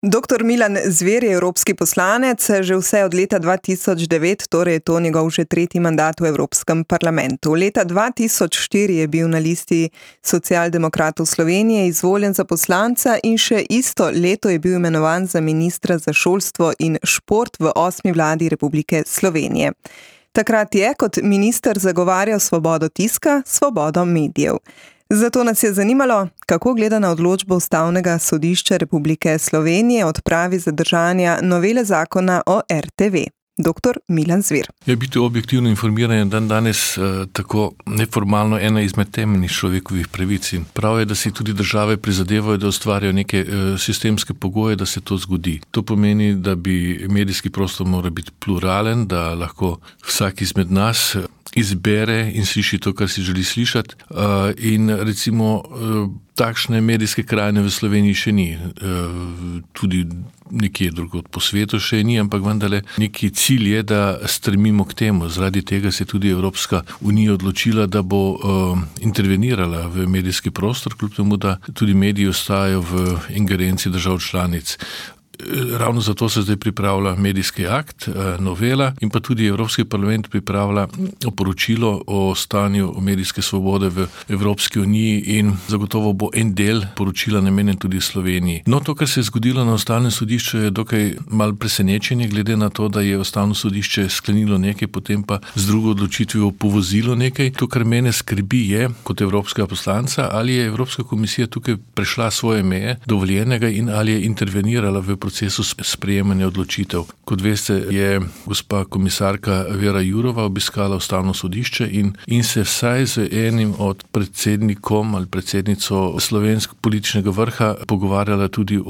Doktor Milan Zver je evropski poslanec, že vse od leta 2009, torej je to njegov že tretji mandat v Evropskem parlamentu. Leta 2004 je bil na listi Socialdemokratov Slovenije izvoljen za poslanca in še isto leto je bil imenovan za ministra za šolstvo in šport v 8. vladi Republike Slovenije. Takrat je kot minister zagovarjal svobodo tiska, svobodo medijev. Zato nas je zanimalo, kako gleda na odločbo Ustavnega sodišča Republike Slovenije o odpravi zadržanja novele zakona o RTV. Doktor Milan Zver. Biti objektivno informiran je danes tako neformalno ena izmed temeljnih človekovih pravic in prav je, da si tudi države prizadevajo, da ustvarjajo neke sistemske pogoje, da se to zgodi. To pomeni, da bi medijski prostor moral biti pluralen, da lahko vsak izmed nas izbere in sliši to, kar si želi slišati. In recimo takšne medijske krajine v Sloveniji še ni. Tudi nekje drugod po svetu še ni, ampak vendarle neki cilj je, da stremimo k temu. Zaradi tega se je tudi Evropska unija odločila, da bo intervenirala v medijski prostor, kljub temu, da tudi mediji ostajajo v ingerenci držav članic. Ravno zato se zdaj pripravlja medijski akt, novela in pa tudi Evropski parlament pripravlja poročilo o stanju medijske svobode v Evropski uniji in zagotovo bo en del poročila namenjen tudi Sloveniji. No, to, kar se je zgodilo na Ustavnem sodišču, je dokaj malo presenečenje, glede na to, da je Ustavno sodišče sklenilo nekaj, potem pa z drugo odločitvijo povozilo nekaj. To, kar mene skrbi, je, kot evropskega poslanca, ali je Evropska komisija tukaj prešla svoje meje dovoljenega in ali je intervenirala v procesu sprejemanja odločitev. Kot veste, je gospa komisarka Vera Jourova obiskala Ustavno sodišče in se vsaj z enim od predsednikom ali predsednico slovenskega političnega vrha pogovarjala tudi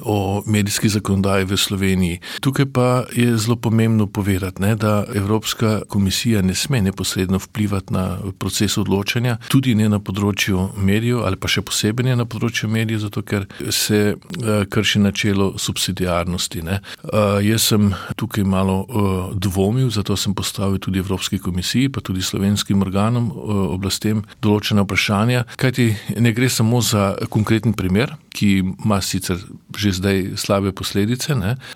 o medijski zakonodaji v Sloveniji. Tukaj pa je zelo pomembno povedati, da Evropska komisija ne sme neposredno vplivati na proces odločanja, tudi ne na področju medijev ali pa še posebej ne na področju medijev, zato ker se krši načelo subsidiarnosti. Jaz sem tukaj malo dvomil, zato sem postavil tudi Evropski komisiji, pa tudi slovenskim organom, oblastem določena vprašanja, kajti ne gre samo za konkreten primer, ki ima sicer že zdaj slabe posledice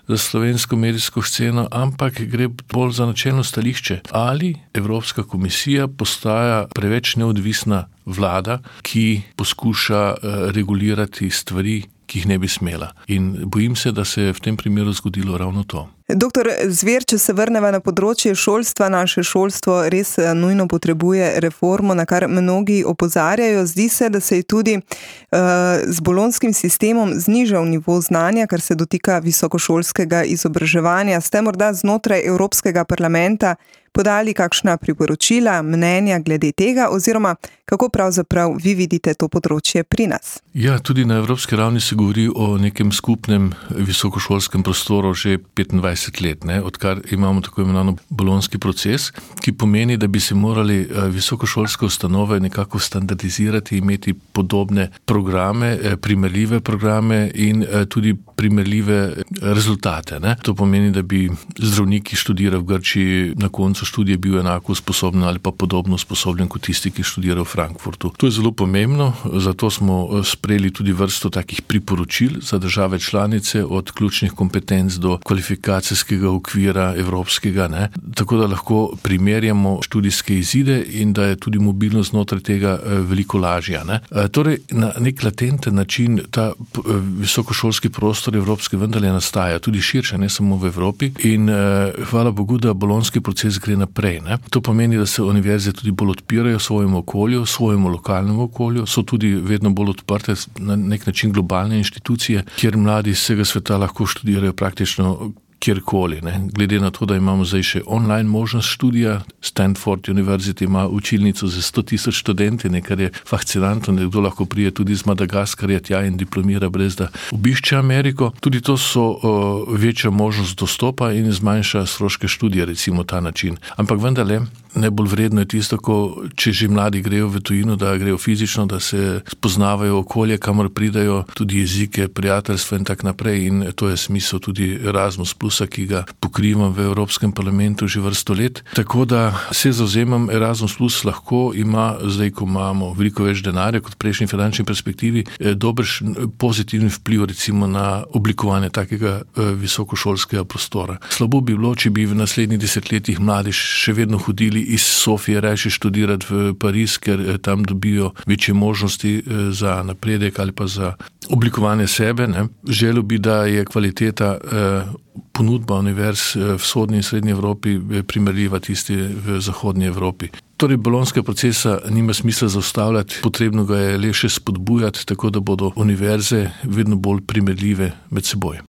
za slovensko medijsko sceno, ampak gre bolj za načelno stališče. Ali Evropska komisija postaja preveč neodvisna vlada, ki poskuša regulirati stvari, ki jih ne bi smela. In bojim se, da se je v tem primeru zgodilo ravno to. Doktor Zver, če se vrneva na področje šolstva, naše šolstvo res nujno potrebuje reformo, na kar mnogi opozarjajo. Zdi se, da se je tudi z bolonjskim sistemom znižal nivo znanja, kar se dotika visokošolskega izobraževanja. Ste morda znotraj Evropskega parlamenta podali kakšna priporočila, mnenja glede tega, oziroma kako pravzaprav vi vidite to področje pri nas? Ja, tudi na evropski ravni se govori o nekem skupnem visokošolskem prostoru že 25 let, odkar imamo tako imenovano bolonjski proces, ki pomeni, da bi se morali visokošolske ustanove nekako standardizirati, imeti podobne programe, primerljive programe in tudi primerljive rezultate. To pomeni, da bi zdravniki študirali v Grčiji, na koncu študije bil enako sposoben ali pa podobno sposoben kot tisti, ki študira v Frankfurtu. To je zelo pomembno, zato smo sprejeli tudi vrsto takih priporočil za države članice, od ključnih kompetenc do kvalifikacijskega okvira evropskega, tako da lahko primerjamo študijske izide in da je tudi mobilnost znotraj tega veliko lažja. Torej, na nek latenten način ta visokošolski prostor evropski vendarle nastaja, tudi širše, ne samo v Evropi, in hvala Bogu, da bolonjski proces gre naprej. To pomeni, da se univerze tudi bolj odpirajo svojemu okolju, svojemu lokalnemu okolju, so tudi vedno bolj odprte na nek način globalne inštitucije, kjer mladi iz vsega sveta lahko študirajo praktično kjerkoli. Glede na to, da imamo zdaj še online možnost študija, Stanford University ima učilnico za 100,000 študenti, kar je fascinantno, nekdo lahko prije tudi iz Madagaskarja tja in diplomira brez da obišče Ameriko. Tudi to so večja možnost dostopa in zmanjša stroške študija, recimo ta način. Ampak vendarle, najbolj vredno je tisto, če že mladi grejo v tujino, da grejo fizično, da se spoznavajo okolje, kamor pridajo, tudi jezike, prijateljstva in tak naprej, in to je smisel tudi Erasmus+ Erasmusa, ki ga pokrivam v Evropskem parlamentu že vrsto let. Tako da se zavzemam, Erasmus Plus lahko ima, zdaj ko imamo veliko več denarja kot v prejšnji finančni perspektivi, dobršen pozitivni vpliv recimo na oblikovanje takega visokošolskega prostora. Slabo bi bilo, če bi v naslednjih desetletjih mladi še vedno hodili iz Sofije raje študirati v Pariz, ker tam dobijo večje možnosti za napredek ali pa za oblikovanje sebe. Želel bi, da je kvaliteta ponudba univerz v vzhodni in srednji Evropi primerljiva tisti v zahodnji Evropi. Torej, bolonjskega procesa nima smisla zaustavljati, potrebno ga je le še spodbujati, tako da bodo univerze vedno bolj primerljive med seboj.